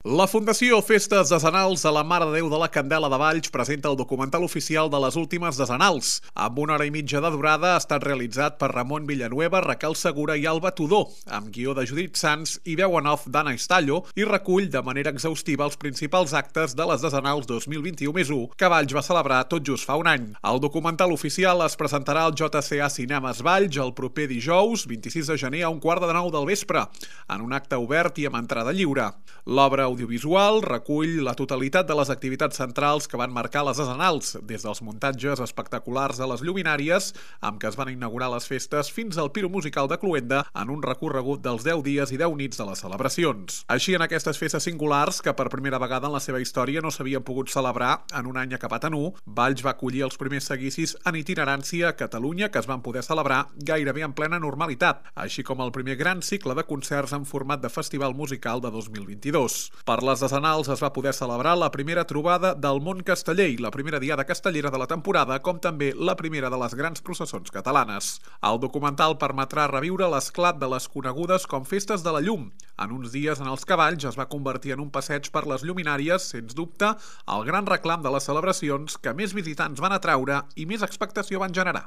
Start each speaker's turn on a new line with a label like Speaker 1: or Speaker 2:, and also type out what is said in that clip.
Speaker 1: La Fundació Festes Decenals de la Mare de Déu de la Candela de Valls presenta el documental oficial de les últimes decenals. Amb 1 hora i mitja de durada ha estat realitzat per Ramon Villanueva, Raquel Segura i Alba Tudó, amb guió de Judit Sans i veu en off d'Anna Estallo, i recull de manera exhaustiva els principals actes de les decenals 2021+1 que Valls va celebrar tot just fa un any. El documental oficial es presentarà al JCA Cinemes Valls el proper dijous, 26 de gener, a 8:45 del vespre, en un acte obert i amb entrada lliure. L'obra audiovisual recull la totalitat de les activitats centrals que van marcar les decenals, des dels muntatges espectaculars de les lluminàries, amb què es van inaugurar les festes, fins al piro musical de Cluenda en un recorregut dels 10 dies i 10 nits de les celebracions. Així, en aquestes festes singulars, que per primera vegada en la seva història no s'havien pogut celebrar en un any acabat en u, Valls va acollir els primers seguicis en itinerància a Catalunya que es van poder celebrar gairebé en plena normalitat, així com el primer gran cicle de concerts en format de festival musical de 2022. Per les decenals es va poder celebrar la primera trobada del món casteller i la primera diada castellera de la temporada, com també la primera de les grans processons catalanes. El documental permetrà reviure l'esclat de les conegudes com Festes de la Llum, en uns dies en els que Valls es va convertir en un passeig per les lluminàries, sens dubte, el gran reclam de les celebracions que més visitants van atraure i més expectació van generar.